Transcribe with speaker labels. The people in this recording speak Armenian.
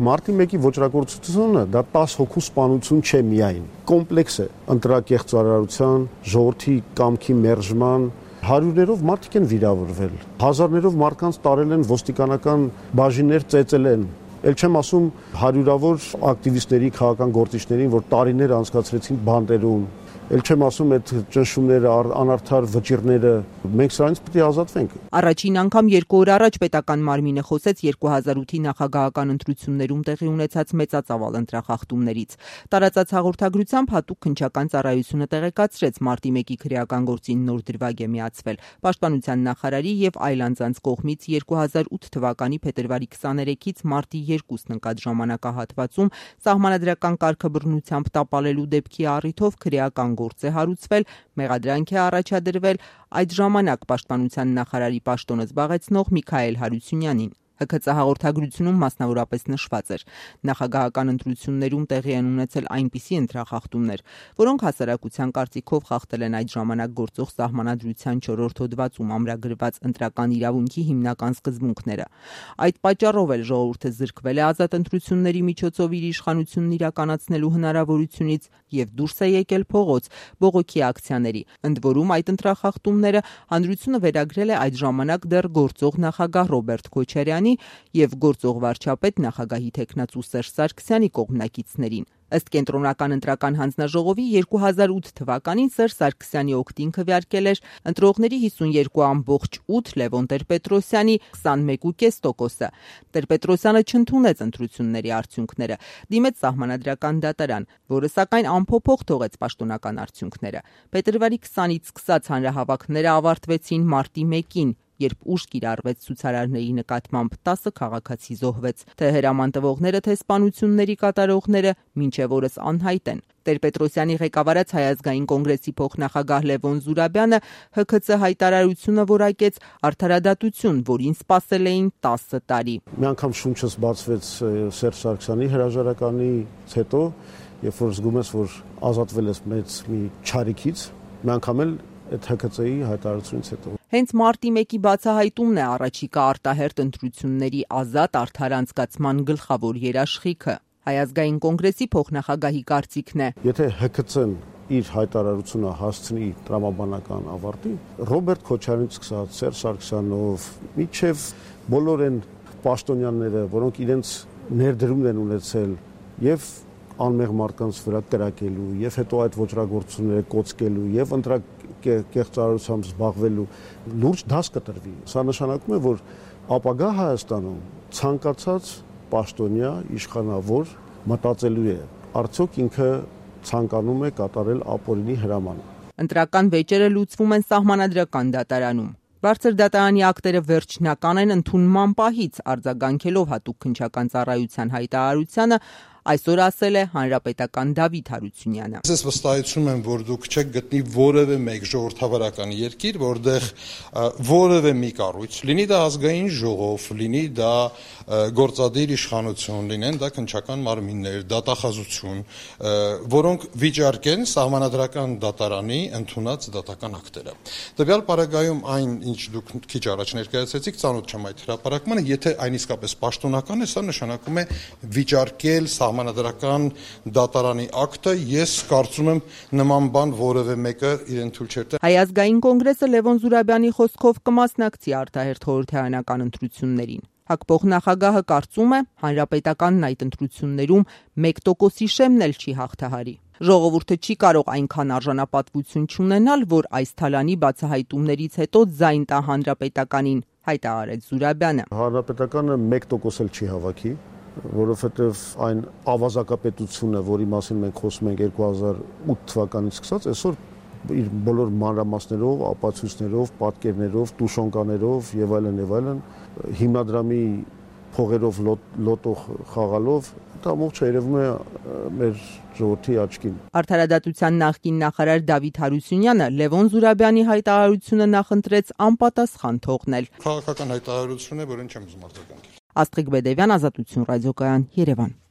Speaker 1: Մարտի 1-ի ոճրագործությունը դա 10 հոգու սպանություն չէ միայն, կոմպլեքս է ընտրակեղծարարության, ժողովրդի կամքի մերժման, հարյուրներով մարդիկ են վիրավորվել, հազարներով մարդկանց տարել են ոստիկանական բաժիններ, ծեծել են, էլ չեմ ասում հարյուրավոր ակտիվիստների, քաղաքական գործիչներին, որ տարիներ անցկացրեցին բանտերում, էլ չեմ ասում այդ ճնշումները, անարդար վճիռները, մենք սրանից պետք է ազատվենք։
Speaker 2: Առաջին անգամ 2 օր առաջ պետական մարմինը խոսեց 2008-ի նախագահական ընտրություններում տեղի ունեցած մեծածավալ ընտրախախտումներից։ Տարածած հաղորդագրությամբ հատուկ քննչական ծառայությունը տեղեկացրեց մարտի 1-ի քրեական գործին նոր դրվագ է միացվել։ Պաշտպանության նախարարի եւ այլ անձանց կողմից 2008 թվականի փետրվարի 23-ից մարտի 2-ն ընկած ժամանակահատվածում սահմանադրական կարգաբռնությամբ տապալելու դեպքի առիթով քրեական գործ է հարուցվել, մեղադրանք է առաջադրվել այդ ժամանակ պաշտպանության նախարարի պաշտոնը զբաղեցնող Միքայել Հարությունյանին։ ՀՔԾ հաղորդագրությունում մասնավորապես նշված էր. նախագահական ընտրություններում տեղի են ունեցել այնպիսի ընտրախախտումներ, որոնք հասարակության կարծիքով խախտել են այդ ժամանակ գործող սահմանադրության 4-րդ հոդվածում ամրագրված ընտրական իրավունքի հիմնական սկզբունքները։ Այդ պատճառով էլ ժողովուրդը զրկվել է ազատ ընտրությունների միջոցով իր իշխանությունն իրականացնելու հնարավորությունից եւ դուրս է եկել փողոց բողոքի ակցիաների։ Ընդ որում այդ ընտրախախտումները հանրությունը վերագրել է այդ ժամանակ դեռ գործող նախագահ Ռոբերտ Քոչարյանի եւ գործող վարչապետ նախագահի թեկնածու Սերժ Սարգսյանի կողմնակիցներին։ Ըստ կենտրոնական ընտրական հանձնաժողովի 2008 թվականին Սերժ Սարգսյանի օգտին քվեարկել էր ընտրողների 52.8, Լևոն Տեր-Պետրոսյանի 21.5%-ը։ Տեր-Պետրոսյանը չընդունեց ընտրությունների արդյունքները, դիմեց սահմանադրական դատարան, որը սակայն անփոփոխ թողեց պաշտոնական արդյունքները։ Փետրվարի 20-ից սկսած հանրահավաքները ավարտվեցին մարտի 1-ին, երբ ուժ կիրառվեց ցուցարարների նկատմամբ 10 քաղաքացի զոհվեց։ Թե հրաման տվողները, թե սպանությունների կատարողները մինչև օրս անհայտ են։ Տեր-Պետրոսյանի ղեկավարած Հայ ազգային կոնգրեսի փոխնախագահ Լևոն Զուրաբյանը ՀՔՑ հայտարարությունը որակեց արդարադատություն, որին սպասել էին 10 տարի։
Speaker 1: Մի անգամ շունչս բացվեց Սերժ Սարգսյանի հրաժարականից հետո, երբ որ զգում ես, որ ազատվել ես մեծ մի չարիքից, մի անգամ էլ այդ ՀՔՑ-ի հայտարարությունից հետո։
Speaker 2: Հենց մարտի 1-ի բացահայտումն է առաջիկա արտահերթ ընտրությունների ազատ արդար անցկացման գլխավոր երաշխիքը։ Հայ ազգային կոնգրեսի փոխնախագահի կարծիքն է.
Speaker 1: Եթե ՀՔՑ-ն իր հայտարարությունը հասցնի տրամաբանական ավարտի, Ռոբերտ Քոչարյանից սկսած Սերժ Սարգսյանով միջև բոլոր այն պաշտոնյաները, որոնք իրենց ներդրումն են ունեցել եւ անմեղ մարդկանց վրա կրակելու եւ հետո այդ ոճրագործությունները կոծկելու եւ ընտրակեղծարարությամբ զբաղվելու լուրջ դաս կտրվի։ Սա նշանակում է, որ ապագա Հայաստանում ցանկացած պաշտոնյա իշխանավոր մտածելու է, արդյոք ինքը ցանկանում է կատարել ապօրինի հրաման։
Speaker 2: Ընտրական վեճերը լուծվում են սահմանադրական դատարանում։ Բարձր դատարանի ակտերը վերջնական են ընդունման պահից, արձագանքելով հատուկ քննչական ծառայության հայտարարությանը, այսօր ասել է հանրապետական Դավիթ Հարությունյանը։
Speaker 3: Ես վստահեցնում եմ, որ դուք չեք գտնի որևէ մեկ ժողովրդավարական երկիր, որտեղ որևէ մի կառույց, լինի դա ազգային ժողով, լինի դա գործադիր իշխանություն, լինեն դա քննչական մարմիններ, դատախազություն, որոնք վիճարկեն սահմանադրական դատարանի ընդունած դատական ակտերը։ Տվյալ պարագայում այն, ինչ դուք քիչ առաջ ներկայացրեցիք, ծանոթ չեմ այդ հրապարակմանը, եթե այն իսկապես պաշտոնական է, սա նշանակում է վիճարկել սահմանադրական դատարանի ակտը, ես կարծում եմ նման բան որևէ մեկը իրեն թույլ չէ տա։
Speaker 2: Հայ ազգային կոնգրեսը Լևոն Զուրաբյանի խոսքով կմասնակցի արտահերթ խորհրդարանական ընտրություններին։ ՀԱԿ փոխնախագահը կարծում է, հանրապետականն այդ ընտրություններում 1%-ի շեմն էլ չի հաղթահարի։ Ժողովուրդը չի կարող այնքան արժանապատվություն չունենալ, որ այս թալանի բացահայտումներից հետո ձայն տա հանրապետականին, հայտարարեց Զուրաբյանը։
Speaker 1: Հանրապետականը 1% էլ չի հավաքի, որովհետև այն ավազակապետությունը, որի մասին մենք խոսում ենք 2008 թվականից սկսած, այսօր իր բոլոր մանրամասներով, ապացույցներով, պատկերներով, տուշոնկաներով եւ այլն, հիմնադրամի փողերով լոտո խաղալով դա ամբողջ երևում է մեր ժողովրդի աչքին։
Speaker 2: Արդարադատության նախկին նախարար Դավիթ Հարությունյանը Լևոն Զուրաբյանի հայտարարությունը նախընտրեց անպատասխան թողնել։
Speaker 3: Քաղաքական հայտարարություն է, որին չեմ ուզում արձագանքել։
Speaker 2: Աստղիկ Բեդևյան, Ազատություն ռադիոկայան, Երևան։